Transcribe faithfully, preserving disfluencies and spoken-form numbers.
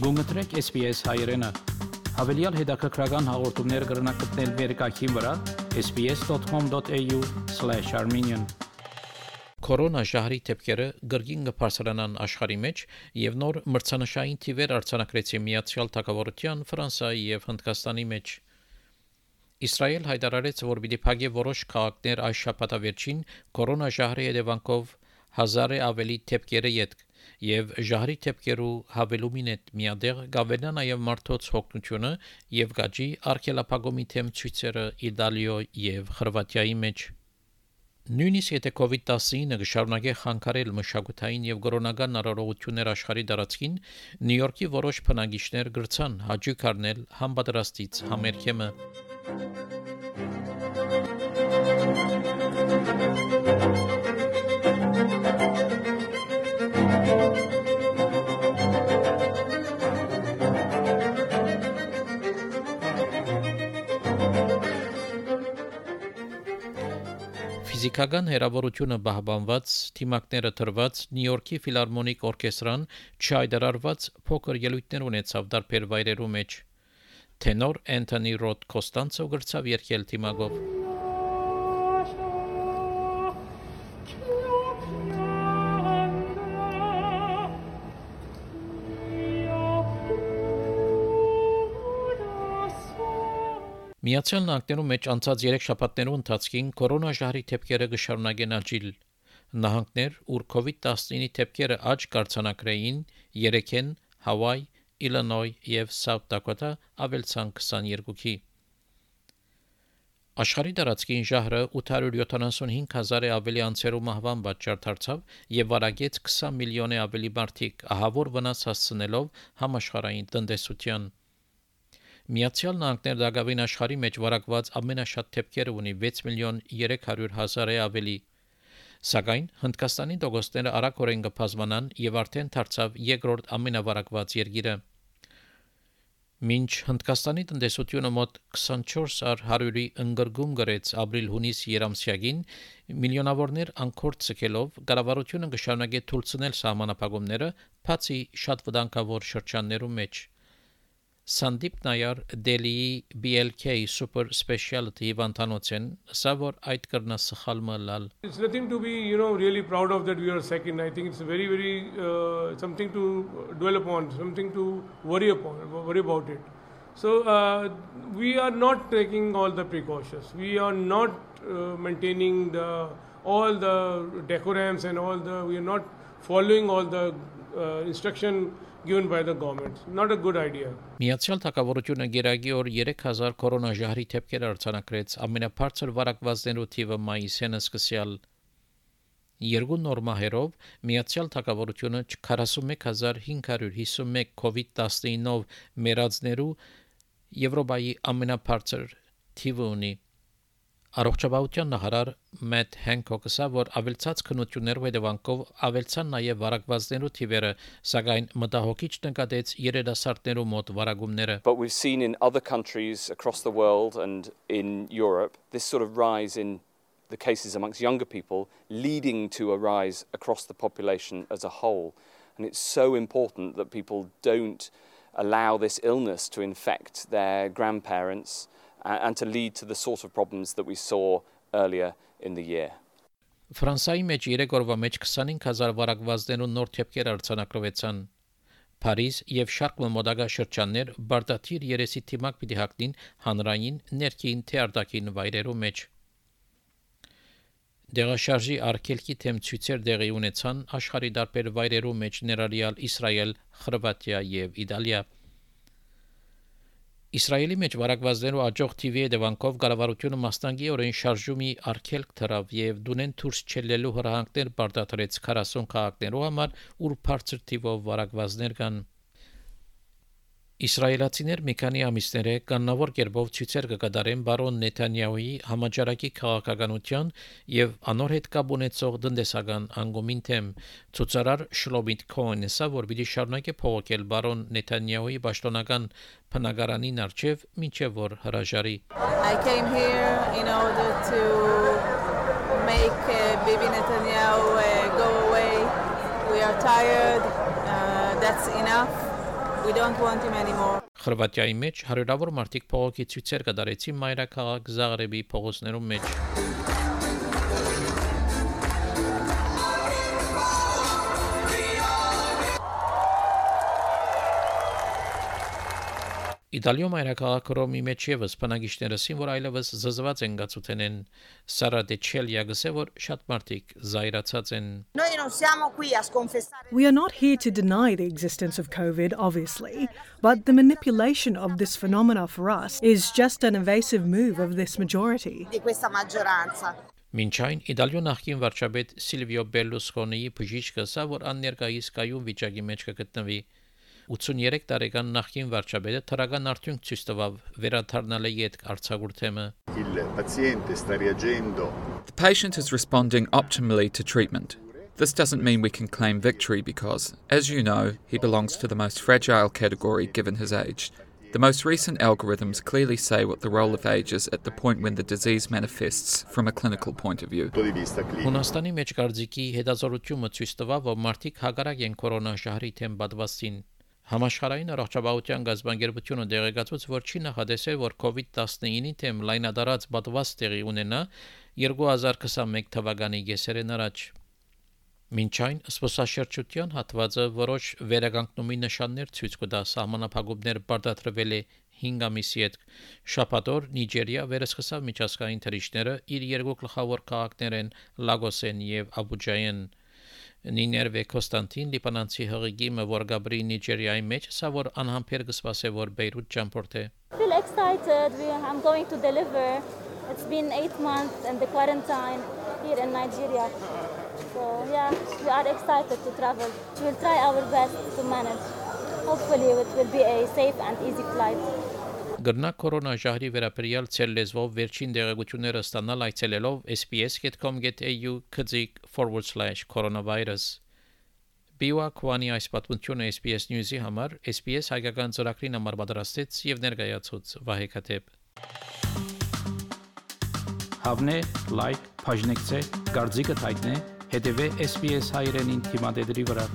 Գումտրեք S B S հայերենը։ Հավելյալ հետաքրքրական հաղորդումներ կգրնակցնել վերկայքին վրա s b s dot com dot a u slash armenian Կորոնա ժահրի թեփքերը գրգին կփարսրանան աշխարհի մեջ եւ նոր մրցանշային թիվեր արձանագրեցին Միացյալ Թագավորության, Ֆրանսիայի եւ Հնդկաստանի մեջ։ Իսրայել հայտարարեց, որ պիտի փակի որոշ քաղաքներ այս շաբաթավերջին կորոնա ժահրի հետևանքով հազարը ավելի թեփքերը յետք եւ ժահրի թեփքերու հավելումին հետ միադեղ գավելա նաեւ մարդոց հոգնությունը եւ գաջի արկելափակումի թեմ ցույցերը Իտալիո եւ Խորվաթիայի մեջ։ Նույնիսկ եթե COVID nineteen-ը կշարունակի խանգարել մշակութային եւ կորոնական առողջություններ աշխարհի տարածքին, Նյու Յորքի որոշ բնակիչներ գրցան հաջող առնել համբադրաստից համերգեմը։ Ֆիզիկական հերավորությունը բահբանված, թիմակները թրված Նյու Յորքի ֆիլհարմոնիկ օրկեստրան չհայտարարված փոքր ելույթներ ունեցավ տարբեր վայրերու մեջ։ Տենոր Անթոնի Ռոդ Կոստանցո գրծավ երգել թիմակով։ Միացյալ Նահանգներում մեջ անցած երեք շաբաթներու ընթացքին կորոնա ժահրի թեփքերը կշարունակեն աճել։ Նահանգներ, ուր COVID nineteen-ի թեփքերը աճ կարձանակրեին, երեքեն Հավայ, Իլինոյ եւ Սաութ Դակոտա ավելցան twenty-two-ի։ Աշխարհի տարածքին ժահրը eight hundred seventy-five հազարը ավելի անձերու մահվան պատճառ դարձավ եւ վարակեց twenty միլիոնի ավելի մարդիկ, ահավոր վնաս հասցնելով համաշխարհային տնտեսության։ Միացյալ Նահանգներ դակավին աշխարհի մեջ վարակված ամենաշատ թեփքերը ունի six միլիոն three hundred հազարը ավելի։ Սակայն Հնդկաստանի դոգոստները արագորեն կբազմանան եւ արդեն դարձավ երկրորդ ամենավարակված երկիրը։ Մինչ Հնդկաստանի տնտեսությունը մոտ twenty-four հարյուրի ընկրգում գրեց ապրիլ-հունիս երամսյակին, միլիոնավորներ անկորձ ցկելով կառավարությունը կշարունակի թույլատրել սահմանափակումները, բացի շատ վտանգավոր շրջաններում մեջ։ Սանդիպ Նայար Դելիի B L K Super Specialty Վանտանոցեն սավոր այդ կրնա սխալը լալ։ It's nothing to be, you know, really proud of that we are second. I think it's very, very uh, something to dwell upon, something to worry upon, worry about it. So uh, we are not taking all the precautions. We are not uh, maintaining the all the decorums and all the. We are not following all the uh, instruction given by the government. Not a good idea. Միացյալ Թագավորությունը գերագի օր three thousand կորոնա ժահրի թեփքեր արձանագրեց, ամենաբարձր վարակվածներու թիվը մայիսին սկսյալ։ Երկու նոր մահերով Միացյալ Թագավորությունը forty-one thousand five hundred fifty-one COVID nineteen-ով մեռածներու Եվրոպայի ամենաբարձր թիվը ունի։ Առողջապահության նախարար Մեթ Հենքոկը ասա, որ ավելցած քննություններով հետևանքով ավելցան նաև վարակվածներու թիվերը, սակայն մտահոգիչ նկատեց երիտասարդներու մոտ վարակումները։ But we've seen in other countries across the world and in Europe this sort of rise in the cases amongst younger people leading to a rise across the population as a whole. And it's so important that people don't allow this illness to infect their grandparents and to lead to the sort of problems that we saw earlier in the year. Ֆրանսիայի մեջ երեք օրվա մեջ twenty-five thousand վարակվածներու նոր թեփքեր արձանագրվեցան։ Փարիզ եւ շարք մոդագա շրջաններ բարդաթիր երեսի թիմակ պիտի հագնին հանրային ներքին թե արտաքին վայրերու մեջ։ Դեղաշարժի արգելքի թեմ ցույցեր դեղի ունեցան աշխարհի տարբեր վայրերու մեջ ներառյալ Իսրայել, Խորվաթիա եւ Իտալիա։ Իսրայելի մեջ վարակվածներու աճող թիվի հետևանքով կառավարությունը մասնագիտորեն շարժումի արգելք դրավ եւ դունեն դուրս չելելու հրահանգներ բարդացրեց forty քաղաքներու համար, ուր բարձր թիվով վարակվածներ կան։ Իսրայելացիներ մի քանի ամիսներ է կանոնավոր կերպով ցույցեր կկատարեն բարոն Նեթանյահուի համաճարակի քաղաքականության եւ անոր հետ կապ ունեցող տնտեսական անգումին թեմ։ Ցուցարար Շլոմիտ Քոհենը ասա, որ պիտի շարունակի փողոքել բարոն Նեթանյահուի պաշտոնական բնակարանին արչեւ մինչեւ որ հրաժարի։ I came here in order to make uh, Bibi Netanyahu uh, go away. We are tired. Uh, that's enough. We don't want him anymore. Խորվաթիայի մեջ հարյուրավոր մարդիկ փողոքի ցույցեր կդարեցին մայրաքաղաք Զաղրեբի փողոցներում մեջ։ Իտալիո մայրաքաղաք Ռոմի մեջ եւս բնակիչները ասին, որ այլևս զզված են գացութենեն Սարա դե Չելիա գսե, որ շատ մարդիկ զայրացած են։ We are not here to deny the existence of COVID, obviously, but the manipulation of this phenomena for us is just an evasive move of this majority. Մինչ այն Իտալիո նախկին վարչապետ Սիլվիո Բերլուսկոնիի բժիշկը ասա, որ աններկայիս կայուն վիճակի մեջ կգտնվի։ ութսուներեք տարեկան նախկին վարչապետը թրական արդյունք ցույց տվավ վերադառնալի յետ արձակուրդեմը։ The patient is responding optimally to treatment. This doesn't mean we can claim victory because, as you know, he belongs to the most fragile category given his age. The most recent algorithms clearly say what the role of age is at the point when the disease manifests from a clinical point of view. Հունաստանի մեջ կարծիքի հետազոտությունը ցույց տվավ, որ մարդիկ հակառակ են կորոնաշահրի թեմ պատվաստին։ Համաշխարհային առողջապահության գազբանգերությունը դեղեկացուց, որ չի նախադեսել, որ COVID nineteen-ի թեմ լայնադարած պատվաստ տեղի ունենա երկու հազար քսաներեք թվականի կեսերեն առաջ։ Մինչ այն սպասաշրջության հատվածը որոշ վերականգնումի նշաններ ցույց կտա սահմանափակումներ բարդացրվել է հինգ ամիսի հետ։ Շաբաթօր Նիջերիա վերսկսավ միջազգային թռիչքները իր երկու գլխավոր քաղաքներեն Լագոսեն եւ Աբուջայեն։ Նիներվե Կոստանտին Լիբանանցի հղիգիմը որ Գաբրի Նիջերիայի մեջ սա որ անհամբեր կսպասե որ Բեյրութ ճամփորդե։ Feel excited. We, I'm going to deliver. It's been eight months in the quarantine here in Nigeria. So yeah, we are excited to travel. We'll try our best to manage. Hopefully it will be a safe and easy flight. Գրնա կորոնաժահրի վերաբերյալ ցել լեզվով վերջին դեղեցությունները ստանալ այցելելով s b s dot com dot a u քծիկ forward slash coronavirus Բիոա Քվանի այս պատմությունը S B S News-ի համար S B S հայկական ծրագրին համար պատրաստեց եւ ներկայացուց Վահե Քաթեփ Հավնե լայք բաժնեկցե դարձիկը թայտնե հետեւե S B S հայրենին թիմադեդի վրա